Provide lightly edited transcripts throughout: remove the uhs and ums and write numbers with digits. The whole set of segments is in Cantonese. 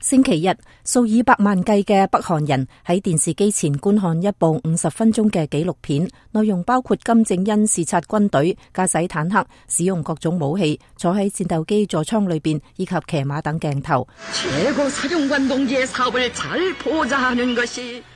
星期日，數以百萬計嘅北韓人喺電視機前觀看一部50分鐘嘅紀錄片，內容包括金正恩視察軍隊、駕駛坦克、使用各種武器、坐喺戰鬥機座艙裏邊以及騎馬等鏡頭。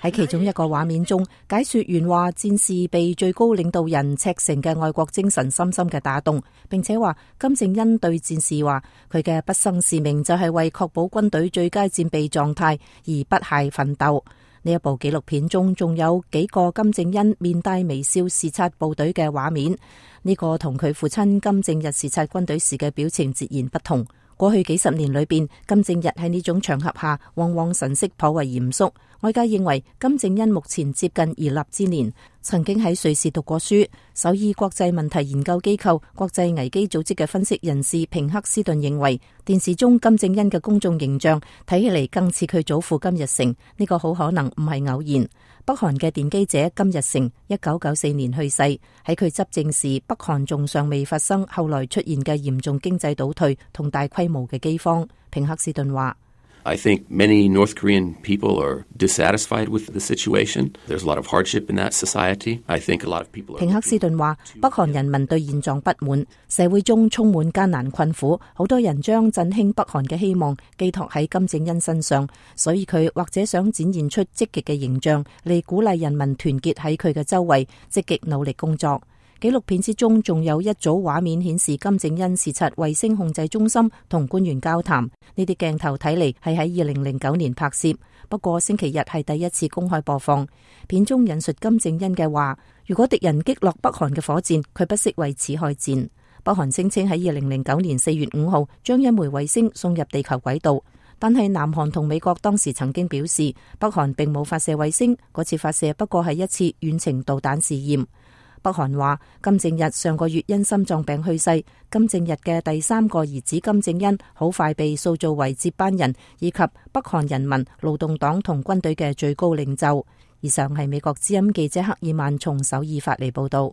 喺其中一個畫面中，解說員話戰士被最高領導人赤誠嘅愛國精神深深嘅打動，並且話金正恩對戰士話佢嘅畢生使命就係為確保軍隊最佳戰備狀態而不懈奮鬥。呢一部紀錄片中仲有幾個金正恩面帶微笑視察部隊嘅畫面，呢個同佢父親金正日視察軍隊時嘅表情截然不同。過去幾十年裏邊，金正日喺呢種場合下往往神色頗為嚴肅。外界認為金正恩目前接近而立之年，曾經喺瑞士讀過書。首爾國際問題研究機構國際危機組織嘅分析人士平克斯頓認為，電視中金正恩嘅公眾形象睇起嚟更似佢祖父金日成，呢個好可能唔係偶然。北韓嘅奠基者金日成1994年去世，喺佢執政時，北韓仲尚未發生後來出現嘅嚴重經濟倒退同大規模嘅饑荒。平克斯頓話I think many North Korean people are dissatisfied with the situation. There's a lot of hardship in that society. I think a lot of people are... 平克斯頓話，北韓人民對現狀不滿，社會中充滿艱難困苦，好多人將振興北韓嘅希望寄託喺金正恩身上，所以佢或者想展現出積極嘅形象嚟鼓勵人民團結喺佢嘅周圍，積極努力工作。紀錄片之中仲有一組畫面顯示金正恩視察衛星控制中心同官員交談，呢啲鏡頭睇嚟係喺2009年拍攝，不過星期日係第一次公開播放。片中引述金正恩嘅話，如果敵人擊落北韓嘅火箭，佢不惜為此開戰。北韓聲稱喺2009年4月5號將一枚衛星送入地球軌道，但係南韓同美國當時曾經表示，北韓並冇發射衛星，嗰次發射不過係一次遠程導彈試驗。北韓話金正日上個月因心臟病去世，金正日嘅第3個兒子金正恩好快被塑造為接班人，以及北韓人民勞動黨同軍隊嘅最高領袖。以上係美國之音記者克爾曼從首爾發嚟報道。